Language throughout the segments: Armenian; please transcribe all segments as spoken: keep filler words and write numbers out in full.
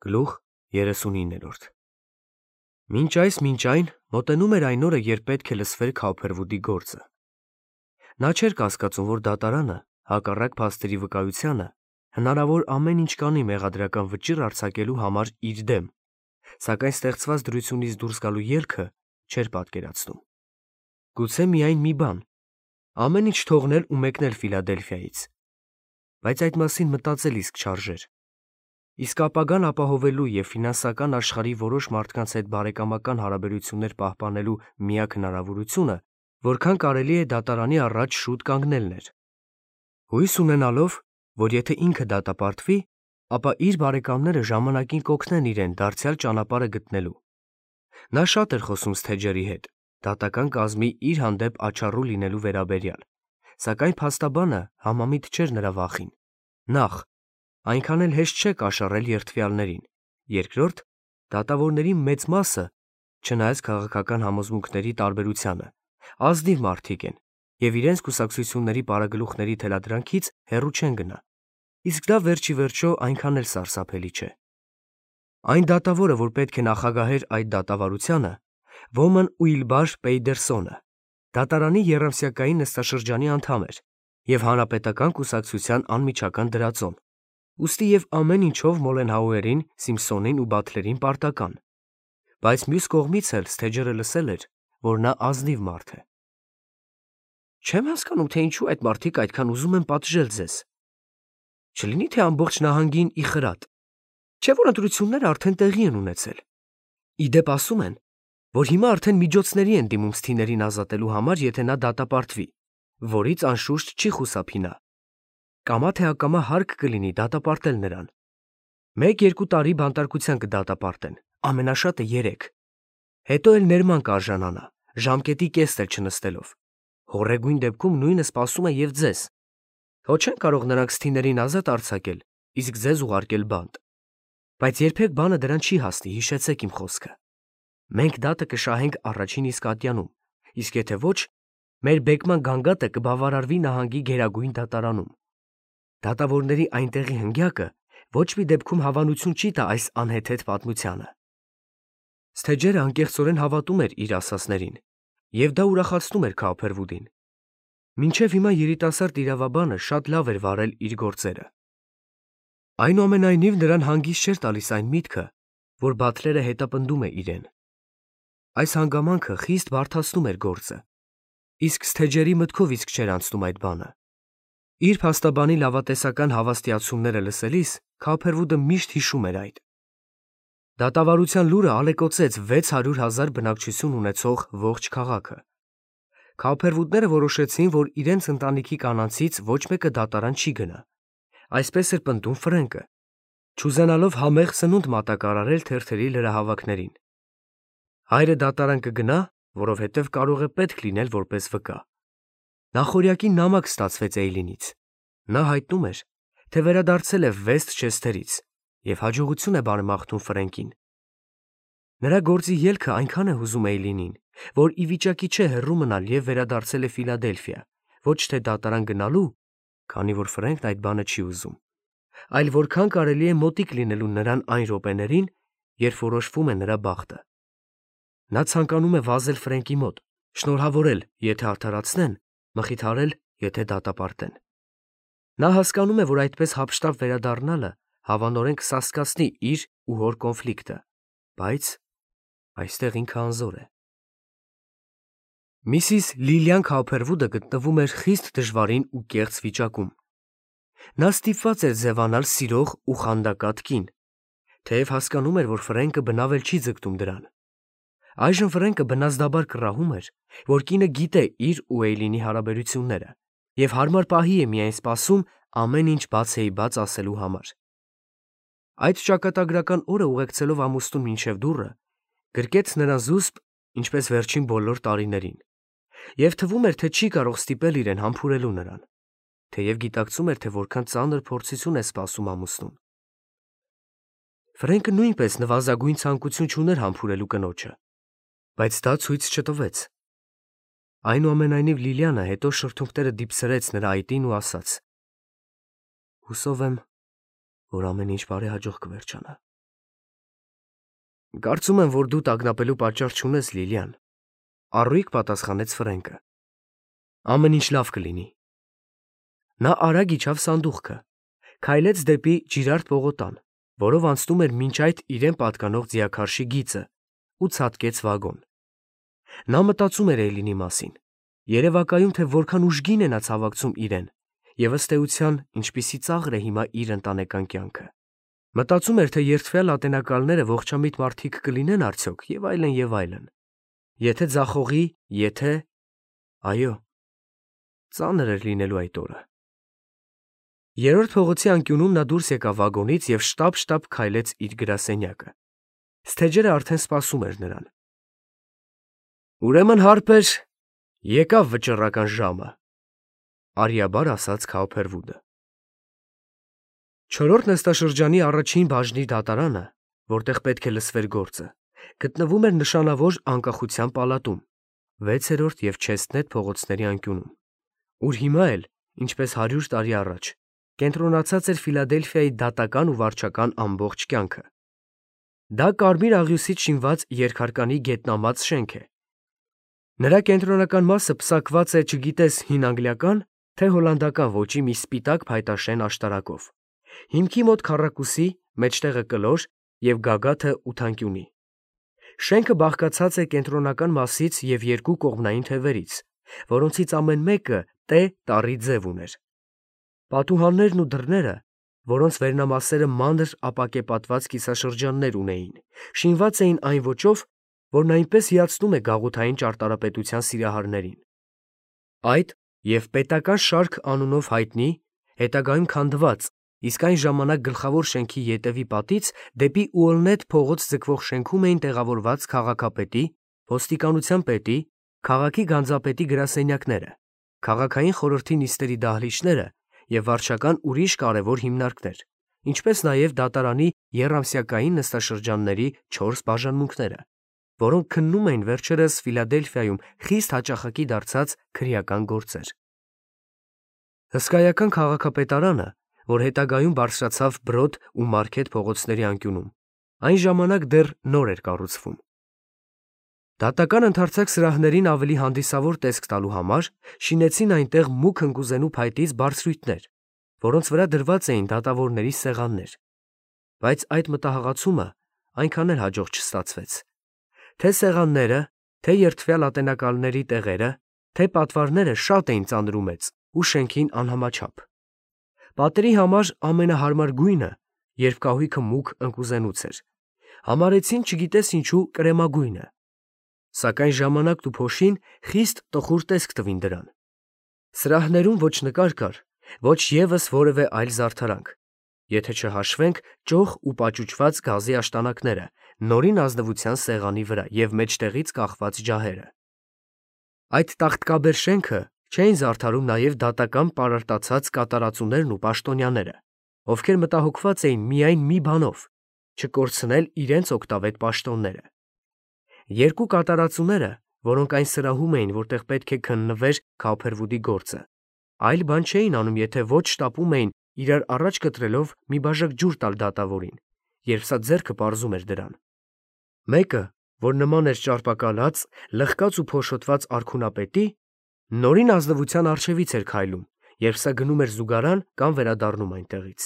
Գլուխ երեսունիններորդ Մինչ այս մինչ այն մոտենում էր այն օրը, երբ պետք է լսվեր Քափերվուդի գործը։ Նա չէր կասկածում, որ դատարանը, հակառակ փաստերի վկայությանը, հնարավոր ամեն ինչ կանի մեղադրական վճիռ արձակելու համար իր դեմ, սակայն ստեղծված դրությունից դուրս գալու ելքը չէր պատկերացնում։ Գուցե միայն մի բան՝ ամեն ինչ թողնել ու մեկնել Ֆիլադելֆիայից։ Բայց այդ մասին մտածել իսկ չարժեր։ Իսկ ապագան ապահովելու և ֆինանսական աշխարհի որոշ մարդկանց հետ բարեկամական հարաբերություններ պահպանելու միակ հնարավորությունը, որքան կարելի է դատարանի առաջ շուտ կանգնելն էր։ Հույս ունենալով, որ եթե ինքը դատապարտվի, ապա իր բարեկամները ժամանակին կօգնեն իրեն դարձյալ ճանապարհը գտնելու։ Նա շատ էր խոսում Սթեջերի հետ, դատական կազմի իր հանդեպ աչառու լինելու վերաբերյալ, սակայն փաստաբանը համամիտ չէր նրա վախին։ Նախ, այնքան էլ հեշտ չէ կաշառել երդվյալներին, երկրորդ, դատավորների մեծ մասը, չնայած քաղաքական համոզմունքների տարբերությանը, ազնիվ մարդիկ են և իրենց կուսակցությունների պարագլուխների թելադրանքից հեռու չեն գնա, իսկ դա վերջ ի վերջո այնքան էլ սարսափելի չէ։ Այն դատավորը, որ պետք է նախագահեր այդ դատավարությանը, Ոմն Ուիլբար Պեյդերսոնը, դատարանի եռամսյակային նստաշրջանի անդամ էր և հանրապետական կուսակցության անմիջական դրածոն, ուստի և ամեն ինչով Մոլենհաուերին, Սիմփսոնին ու Բաթլերին պարտական, բայց մյուս կողմից էլ Սթեջերը լսել էր, որ նա ազնիվ մարդ է։ Չեմ հասկանում, թե ինչու այդ մարդիկ այդքան ուզում են պատժել ձեզ։ Չլինի՞ թե ամբողջ նահանգին ի խրատ, չէ՞ որ ընտրությունները արդեն տեղի են ունեցել։ Ի դեպ ասում են, որ հիմա արդեն միջոցների են դիմում Սթիներին ազատելու համար, եթե նա դատապարտվի, որից անշուշտ չի խուսափի նա։ Կամա թե ակամա հարկ կլինի դատապարտել նրան։ Մեկ-երկու տարի բանտարկության կդատապարտեն, ամենաշատը երեք։ Հետո էլ ներման կարժանանա, ժամկետի կեսն էլ չնստելով։ Հոռեգույն դեպքում նույնը սպասում է և ձեզ։ Հո չեն կարող նրանք Սթիներին ազատ արձակել, իսկ ձեզ ուղարկել բանտ։ Բայց երբեք բանը դրան չի հասնի, հիշեցեք իմ խոսքը։ Մենք դատը կշահենք առաջին իսկ ատյանում, իսկ եթե ոչ, մեր բեկման գանգատը կբավարարվի նահանգի գերագույն դատարանում։ Դատավորների այնտեղի հնգյակը ոչ մի դեպքում հավանություն չի տա այս անհեթեթ պատմությանը։ Սթեջերը անկեղծորեն հավատում էր իր ասածներին, և դա ուրախացնում էր Քափերվուդին։ Մինչև հիմա երիտասարդ իրավաբանը շատ լավ էր վարել իր գործերը։ Այնուամենայնիվ նրան հանգիստ չէր տալիս այն միտքը, որ Բաթլերը հետապնդում է իրեն։ Այս հանգամանքը խիստ բարդացնում էր գործը, իսկ Սթեջերի մտքով իսկ չէր անցնում այդ բանը։ Իր փաստաբանի լավատեսական հավաստիացումները լսելիս Քափերվուդը միշտ հիշում էր այդ։ Դատավարության լուրը ալեկոծեց վեց հարյուր հազար բնակչություն ունեցող ողջ քաղաքը։ Քափերվուդները որոշեցին, որ իրենց ընտանիքի կանանցից ոչ մեկը դատարան չի գնա։ Այսպես էր պնդում Ֆրենկը, չուզենալով համեղ սնունդ մատակարարել թերթերի լրահավաքներին։ Հայրը դատարան կգնա, որովհետև կարող է պետք լինել որպես վկա։ Նախօրյակի նամակ ստացվեց Էյլինից։ Նա հայտնում էր, թե վերադարձել է Վեսթ Չեսթերից և հաջողություն է բարեմաղթում Ֆրենկին։ Նրա գործի ելքը այնքան է հուզում Էյլինին, որ ի վիճակի չէ հեռու մնալ և վերադարձել է Ֆիլադելֆիա, ոչ թե դատարան գնալու, քանի որ Ֆրենկն այդ բանը չի ուզում, այլ որքան կարելի է մոտիկ լինելու նրան այն րոպեներին, երբ որոշվում է նրա բախտը։ Նա ցանկանում է վազել Ֆրենկի մոտ, շնորհավորել, եթե արդարացնեն, մխիթարել, եթե դատապարտեն։ Նա հասկանում է, որ այդպես հափշտապ վերադառնալը հավանորեն կսասկացնի իր ու հոր կոնֆլիկտը, բայց այստեղ ինքը անզոր է։ Միսիս Լիլիան Քափերվուդը գտնվում էր խիստ դժվարին ու կեղծ վիճակում։ Նա ստիպված էր ձևանալ սիրող ու խանդակատ կին, թեև հասկանում էր, որ Ֆրենկը բնավ էլ չի ձգտում դրան։ Այժմ Ֆրենկը բնազդաբար կռահում էր, որ կինը գիտե իր ու Էյլինի հարաբերությունները և հարմար պահի է միայն սպասում ամեն ինչ բացեի բաց ասելու համար։ Այդ ճակատագրական օրը ուղեկցելով ամուսնուն մինչև դուռը, գրկեց նրան զուսպ, ինչպես վերջին բոլոր տարիներին, և թվում էր, թե չի կարող ստիպել իրեն համբուրելու նրան, թեև գիտակցում էր, թե որքան ծանր փորձություն է սպասում ամուսնուն։ Ֆրենկը նույնպես նվազագույն ցանկություն չուներ համբուրելու կնոջը, բայց դա ցույց չտվեց։ Այնուամենայնիվ Լիլիանը հետո շրթունքները դիպսրեց նրա այտին ու ասաց. Հուսով եմ, որ ամեն ինչ բարեհաջող կվերջանա։ Կարծում եմ, որ դու տագնապելու պատճառ չունես, Լիլիան, առույգ պատասխանեց Ֆրենկը։ Ամեն ինչ լավ կլինի։ Նա արագ իջավ սանդուղքը, քայլեց դեպի ջիրարդ պողոտան, որով անցնում էր մինչ այդ իրեն պատկանող ձիաքարշի գիծը, ու ցատկեց վագոն։ Նա մտածում էր Էյլինի մասին, երևակայում, թե որքան ուժգին է նա ցավակցում իրեն, և ըստ էության, ինչպիսի ծաղր է հիմա իր ընտանեկան կյանքը։ Մտածում էր, թե երդվյալ ատենակալները ողջամիտ մարդիկ կլինեն արդյոք, և այլն, և այլն։ Եթե ձախողի, եթե… Այո, ծանր էր լինելու այդ օրը։ Երրորդ փողոցի անկյունում նա դուրս եկավ վագոնից և շտապ-շտապ քայլեց իր գրասենյակը։ Սթեջերը արդեն սպասում էր նրան։ Ուրեմն, հարբեր, եկավ վճռական ժամը, արիաբար ասաց Քաուփերվուդը։ Չորրորդ նստաշրջանի առաջին բաժնի դատարանը, որտեղ պետք է լսվեր գործը, գտնվում էր նշանավոր անկախության պալատում, վեցերորդ և Չեսթնեթ փողոցների անկյունում, ուր հիմա էլ, ինչպես հարյուր տարի առաջ, կենտրոնացած էր Ֆիլադելֆիայի դատական ու վարչական ամբողջ կյանքը։ Դա կարմիր աղյուսից շինված երկհարկանի գետնամած շենք է։ Նրա կենտրոնական մասը պսակված է չգիտես հին անգլիական, թե հոլանդական ոճի մի սպիտակ փայտաշեն աշտարակով, հիմքի մոտ քառակուսի, մեջտեղը կլոր և գագաթը ութանկյունի։ Շենքը բաղկացած է կենտրոնական մասից և երկու կողմնային թևերից, որոնցից ամեն մեկը Տ տառի ձև ուներ։ Պատուհաններն ու դռները, որոնց վերնամասերը մանր ապակեպատված կիսաշրջաններ ունեին, շինված էին այն ոճով, որն այնպես հիացնում է գաղութային ճարտարապետության սիրահարներին։ Այդ և պետական շարք անունով հայտնի, հետագայում քանդված, իսկ այն ժամանակ գլխավոր շենքի ետևի պատից դեպի Ուոլնեթ փողոց ձգվող շենքում էին տեղավորված քաղաքապետի, ոստիկանության պետի, քաղաքի գանձապետի գրասենյակները, քաղաքային խորհրդի նիստերի դահլիճները և վարչական ուրիշ կարևոր հիմնարկներ, ինչպես նաև դատարանի եռամսյակային նստաշրջանների չորս բաժանմունքները, որոնք քննում էին վերջերս Ֆիլադելֆիայում խիստ հաճախակի դարձած քրեական գործեր։ Հսկայական քաղաքապետարանը, որ հետագայում բարձրացավ Բրոդ ու Մարքեթ փողոցների անկյունում, այն ժամանակ դեռ նոր էր կառուցվում։ Դատական ընդարձակ սրահներին ավելի հանդիսավոր տեսք տալու համար շինեցին այնտեղ մուգ ընկուզենու փայտից բարձրույթներ, որոնց վրա դրված էին դատավորների սեղաններ։ Բայց այդ մտահղացումը այնքան էլ հաջող չստացվեց։ Թե սեղանները, թե երդվյալ ատենակալների տեղերը, թե պատվարները շատ էին ծանրումեծ ու շենքին անհամաչափ։ Պատերի համար ամենահարմար գույնը, երբ կահույքը մուգ ընկուզենուց էր, համարեցին չգիտես ինչու կրեմագույնը, սակայն ժամանակն ու փոշին խիստ տխուր տեսք տվին դրան։ Սրահներում ոչ նկար կար, ոչ ևս որևէ այլ զարդարանք, եթե չհաշվենք ճոխ ու պաճուճված գազի աշտանակները նորին ազնվության սեղանի վրա և մեջտեղից կախված ջահերը։ Այդ տաղտկաբեր շենքը չէին զարդարում նաև դատական պարարտացած կատարածուներն ու պաշտոնյաները, ովքեր մտահոգված էին միայն մի բանով՝ չկորցնել իրենց օգտավետ պաշտոնները։ Երկու կատարածուները, որոնք այն սրահում էին, որտեղ պետք է քննվեր Քաուփերվուդի գործը, այլ բան չէին անում, եթե ոչ շտապում էին իրար առաջ կտրելով մի բաժակ ջուր տալ դատավորին, երբ սա ձեռքը պարզում էր դրան։ Մեկը, որ նման էր ճարպակալած, լխկած ու փոշոտված արքունապետի, նորին ազնվության առջևից էր քայլում, երբ սա գնում էր զուգարան կամ վերադառնում այնտեղից։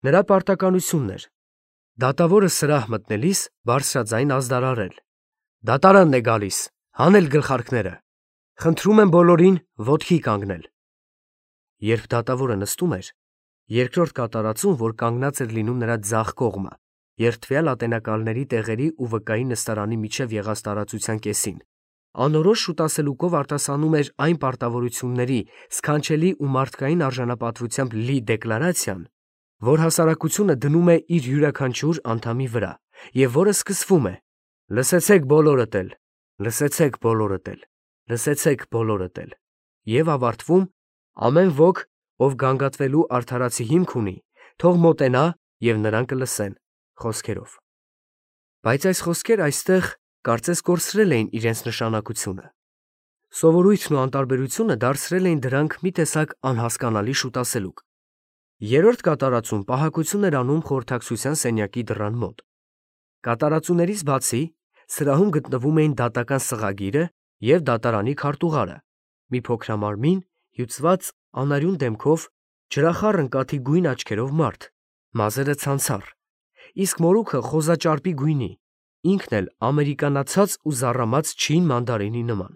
Նրա պարտականությունն էր դատավորը սրահ մտնելիս բարձրաձայն ազդարարել. «Դատարանն է գալիս, հանել գլխարկները, խնդրում եմ բոլորին ոտքի կանգնել»։ Երբ դատավորը նստում էր, երկրորդ կատարածուն, որ կանգնած էր լինում նրա ձախ կողմը, երդվյալ ատենակալների տեղերի ու վկայի նստարանի միջև եղած տարածության կեսին, անորոշ շուտասելուկով արտասանում էր այն պարտավորությունների սքանչելի ու մարդկային արժանապատվությամբ լի դեկլարացիան, որ հասարակությունը դնում է իր յուրաքանչյուր անդամի վրա և որը սկսվում է. «Լսեցեք բոլորդ էլ, լսեցեք բոլորդ էլ, լսեցեք բոլորդ էլ» և ավարտվում. «Ամեն ոք, ով գանգատվելու արդարացի հիմք ունի, թող մոտենա և նրան կլսեն» խոսքերով։ Բայց այս խոսքերը այստեղ կարծես կորցրել էին իրենց նշանակությունը։ Սովորույթն ու անտարբերությունը դարձրել էին դրանք մի տեսակ անհասկանալի շուտասելուկ։ Երրորդ կատարածում պահակություն էր անում խորհրդակցության սենյակի դռան մոտ։ Կատարածուներից բացի սրահում գտնվում էին դատական սղագիրը և դատարանի քարտուղարը, մի փոքրամարմին, հյուծված անարյուն դեմքով, ջրախառ ընկաթի գույն աչքերով մարդ, մազերը ցանցառ, իսկ մորուքը խոզաճարպի գույնի, ինքն էլ ամերիկանացած ու զառամած չին մանդարինի նման։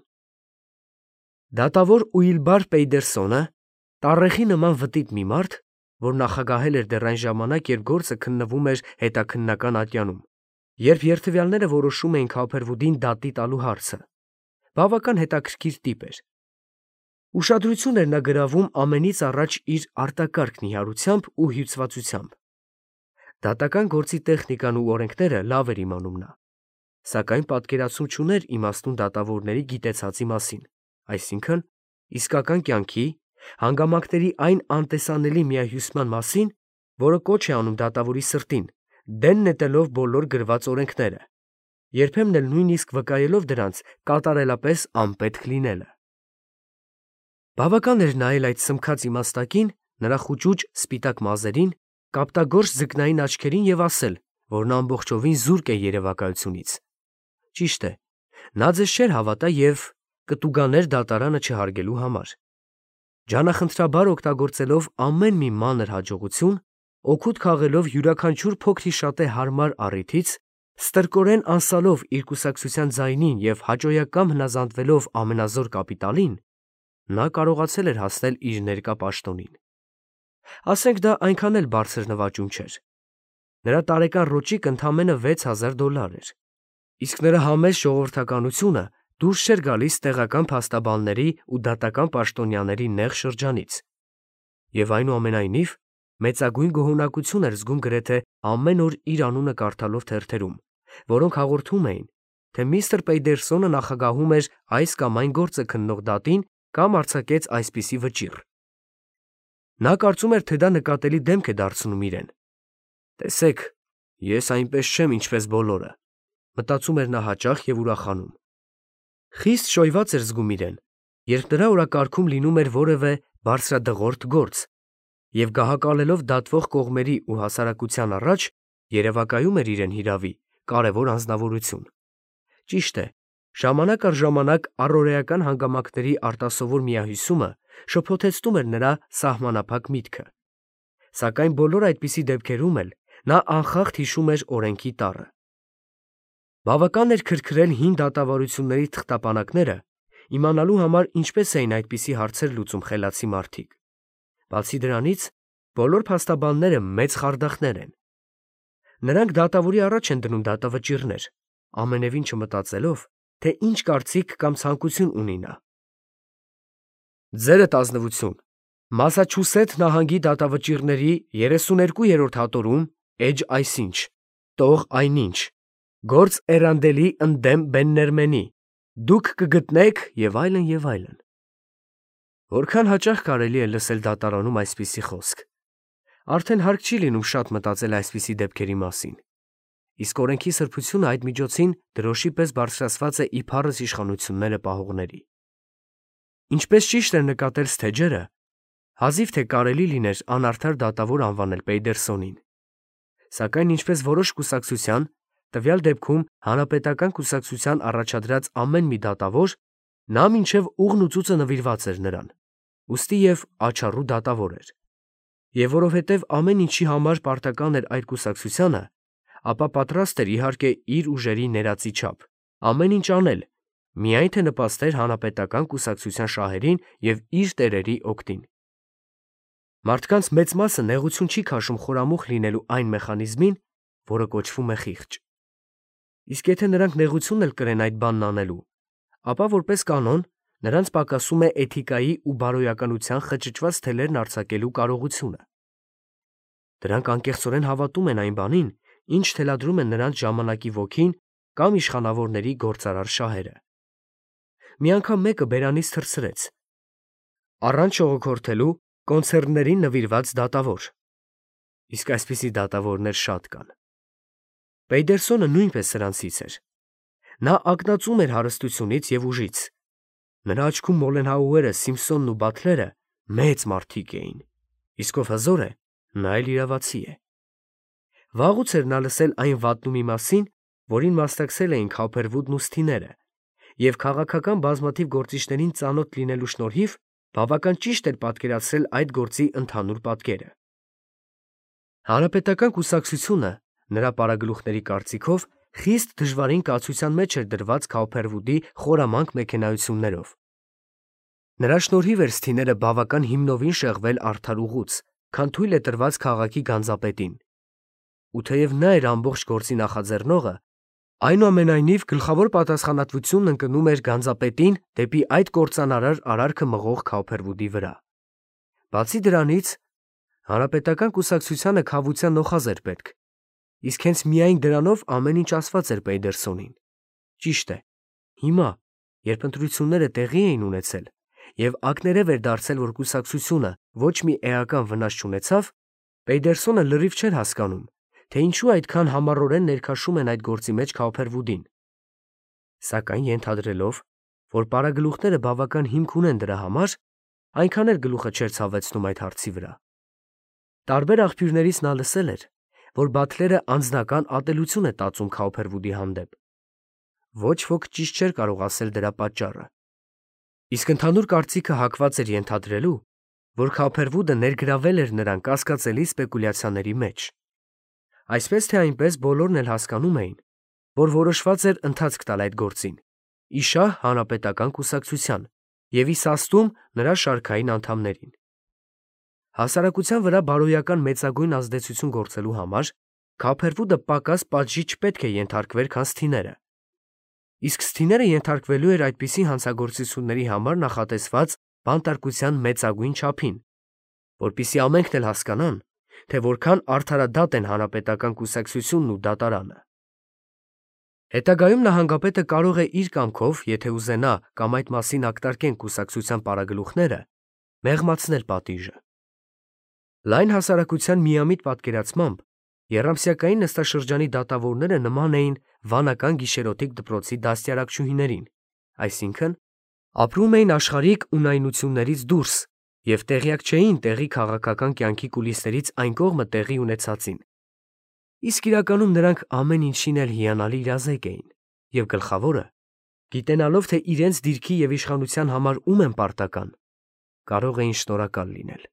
Դատավոր Ուիլբար Պեյդերսոնը, տառեխի նման վտիտ մի մարդ, որ նախագահել էր դեռ այն ժամանակ, երբ գործը քննվում էր հետաքննական ատյանում, երբ երդվյալները որոշում էին Քոփերվուդին դատի տալու հարցը, բավական հետաքրքիր տիպ էր։ Ուշադրություն էր նա գրավում ամենից առաջ իր արտակարգ նիհարությամբ ու հյուծվածությամբ։ Դատական գործի տեխնիկան ու օրենքները լավ էր իմանում նա, սակայն պատկերացում չուներ իմաստուն դատավորների գիտեցածի մասին, այսինքն իսկական կյանքի, հանգամանքների այն անտեսանելի միահյուսման մասին, որը կոչ է անում դատավորի սրտին, դեն նետելով բոլոր գրված օրենքները, երբեմն էլ նույնիսկ վկայելով դրանց կատարելապես անպետք լինելը։ Բավական էր նայել այդ սմքած իմաստակին, նրա խուճուճ սպիտակ մազերին, կապտագործ ձկնային աչքերին և ասել, որ նա ամբողջովին զուրկ է երևակայությունից։ Ճիշտ է, նա ձեզ չէր հավատա և կտուգաներ դատարանը չհարգելու համար։ Ջանախնդրաբար օգտագործելով ամեն մի մանր հաջողություն, օգուտ քաղելով յուրաքանչյուր փոքրիշատե հարմար առիթից, ստրկորեն անսալով իր կուսակցության ձայնին և հաճոյակամ հնազանդվելով ամենազոր կապիտալին, նա կարողացել էր հասնել իր ներկա պաշտոնին։ Ասենք դա այնքան էլ բարձր նվաճում չէր։ Նրա տարեկան ռոճիկը ընդամենը վեց հազար դոլար էր, իսկ նրա համեստ ժողովրդականությունը դուրս չէր գալիս տեղական փաստաբանների ու դատական պաշտոնյաների նեղ շրջանից, և այնուամենայնիվ մեծագույն գոհունակություն էր զգում գրեթե ամեն օր իր անունը կարդալով թերթերում, որոնք հաղորդում էին, թե միստր Պեյդերսոնը նախագահում էր այս կամ այն գործը քննող դատին կամ արձակեց այսպիսի վճիռ։ Նա կարծում էր, թե դա նկատելի դեմք է դարձնում իրեն։ «Տեսեք, ես այնպես չեմ, ինչպես բոլորը», մտածում էր նա հաճախ և ուրախանում։ Խիստ շոյված էր զգում իրեն, երբ նրա օրակարգում լինում էր որևէ բարձրադղորդ գործ, և գահակալելով դատվող կողմերի ու հասարակության առաջ, երևակայում էր իրեն հիրավի կարևոր անձնավորություն։ Ճիշտ է, ժամանակ առ ժամանակ առօրեական հանգամանքների արտասովոր միահյուսումը շփոթեցնում էր նրա սահմանափակ միտքը, սակայն բոլոր այդպիսի դեպքերում էլ նա անխախտ հիշում էր օրենքի տառը։ Բավական էր քրքրել հին դատավարությունների թղթապանակները, իմանալու համար ինչպես էին այդպիսի հարցեր լուծում խելացի մարդիկ։ Բացի դրանից, բոլոր փաստաբանները մեծ խարդախներ են։ Նրանք դատավորի առաջ են դնում դատավճիռներ, ամենևին չմտածելով, թե ինչ կարծիք կամ ցանկություն ունի նա։ Ձերդ ազնվություն, Մասաչուսեթ նահանգի դատավճիռների երեսուներկուերորդ հատորում, էջ այսինչ, տող այնինչ, գործ էրանդելի ընդդեմ Բեններմենի, դուք կգտնեք և այլն, և այլն։ Որքան հաճախ կարելի է լսել դատարանում այսպիսի խոսք։ Արդեն հարկ չի լինում շատ մտածել այսպիսի դեպքերի մասին, իսկ օրենքի սրբությունը այդ միջոցին դրոշի պես բարձրացված է իբարս իշխանությունները պահողների։ Ինչպես ճիշտ էր նկատել Սթեջերը, հազիվ թե կարելի լիներ անարդար դատավոր անվանել Պեյդերսոնին, սակայն ինչպես որոշ կուսակցության, տվյալ դեպքում հանրապետական կուսակցության առաջադրած ամեն մի դատավոր, նա մինչև ուղն ու ծուծը նվիրված էր նրան, ուստի և աչառու դատավոր էր։ Եվ որովհետև ամեն ինչի համար պարտական էր այդ կուսակցությանը, ապա պատրաստ էր իհարկե իր ուժերի ներածի չափ ամեն ինչ անել, միայն թե նպաստեր հանրապետական կուսակցության շահերին և իր տերերի օգտին։ Մարդկանց մեծ մասը նեղություն չի քաշում խորամուխ լինելու այն մեխանիզմին, որը կոչվում է խիղճ։ Իսկ եթե նրանք նեղություն էլ կրեն այդ բանն անելու, ապա որպես կանոն նրանց պակասում է էթիկայի ու բարոյականության խճճված թելերն արձակելու կարողությունը։ Դրանք անկեղծորեն հավատում են այն բանին, ինչ թելադրում են նրանց ժամանակի ոգին կամ իշխանավորների գործարար շահերը։ Մի անգամ մեկը բերանից թռցրեց. առանց շողոքորթելու կոնցեռններին նվիրված դատավոր։ Իսկ այսպիսի դատավորներ շատ կան։ Պեյդերսոնը նույնպես սրանցից էր։ Նա ակնածում էր հարստությունից և ուժից։ Նրա աչքում Մոլենհաուերը, Սիմփսոնն ու Բաթլերը մեծ մարդիկ էին, իսկ ով հզոր է, նա էլ իրավացի է։ Վաղուց էր նա լսել այն վատնումի մասին, որին մասնակցել էին Քափերվուդն ու Սթիները, և քաղաքական բազմաթիվ գործիչներին ծանոթ լինելու շնորհիվ բավական ճիշտ էր պատկերացրել այդ գործի ընդհանուր պատկերը։ Հանրապետական կուսակցությունը, նրա պարագլուխների կարծիքով, խիստ դժվարին կացության մեջ էր դրված Քափերվուդի խորամանկ մեքենայություններով։ Նրա շնորհիվ էր Սթիները բավական հիմնովին շեղվել արդար ուղուց, քան թույլ է տրված քաղաքի գանձապետին։ Ու թեև նա էր ամբողջ գործի նախաձեռնողը, այնուամենայնիվ գլխավոր պատասխանատվությունն ընկնում էր գանձապետին դեպի այդ կործանարար արարքը մղող Քափերվուդի վրա։ Բացի դրանից, հանրապետական կուսակցությանը քավության նոխազ էր պետք, իսկ հենց միայն դրանով ամեն ինչ ասված էր Պեյդերսոնին։ Ճիշտ է, հիմա, երբ ընտրությունները տեղի էին ունեցել, և ակներև էր դարձել, որ կուսակցությունը ոչ մի էական վնաս չունեցավ, Պեյդերսոնը լրիվ չէր հասկանում, թե ինչու այդքան համառորեն ներքաշում են այդ գործի մեջ Քափերվուդին, սակայն ենթադրելով, որ պարագլուխները բավական հիմք ունեն դրա համար, այնքան էլ գլուխը չէր ցավեցնում այդ հարցի վրա։ Տարբեր աղբյուրներից նա լսել էր, որ Բաթլերը անձնական ատելություն է տածում Քափերվուդի հանդեպ։ Ոչ ոք ճիշտ չէր կարող ասել դրա պատճառը։ Իսկ ընդհանուր կարծիքը հակված էր ենթադրելու, որ Քափերվուդը ներգրավել էր նրան կասկածելի սպեկուլյացիաների մեջ։ Այսպես թե այնպես բոլորն էլ հասկանում էին, որ որոշված էր ընթացք տալ այդ գործին, ի շահ հանրապետական կուսակցության և ի սաստում նրա շարքային անդամներին։ Հասարակության վրա բարոյական մեծագույն ազդեցություն գործելու համար Քափերվուդը պակաս պատժի չպետք է ենթարկվեր, քան Սթիները։ Իսկ Սթիները ենթարկվելու էր այդպիսի հանցագործությունների համար նախատեսված բանտարկության մեծագույն չափին, որպեսզի ամենքն էլ հասկանան, թե որքան արդարադատ են հանրապետական կուսակցությունն ու դատարանը։ Հետագայում նահանգապետը կարող է իր կամքով, եթե ուզենա կամ այդ մասին ակտարկեն կուսակցության պարագլուխները, մեղմացնել պատիժը։ Լայն հասարակության միամիտ պատկերացմամբ եռամսյակային նստաշրջանի դատավորները նման էին վանական գիշերօթիկ դպրոցի դաստիարակչուհիներին, այսինքն ապրում էին աշխարհիկ ունայնություններից դուրս և տեղյակ չէին տեղի քաղաքական կյանքի կուլիսներից այն կողմը տեղի ունեցածին, իսկ իրականում նրանք ամեն ինչին էլ հիանալի իրազեկ էին և գլխավորը, գիտենալով, թե իրենց դիրքի և իշխանության համար ում են պարտական, կարող էին շնորհակալ լինել։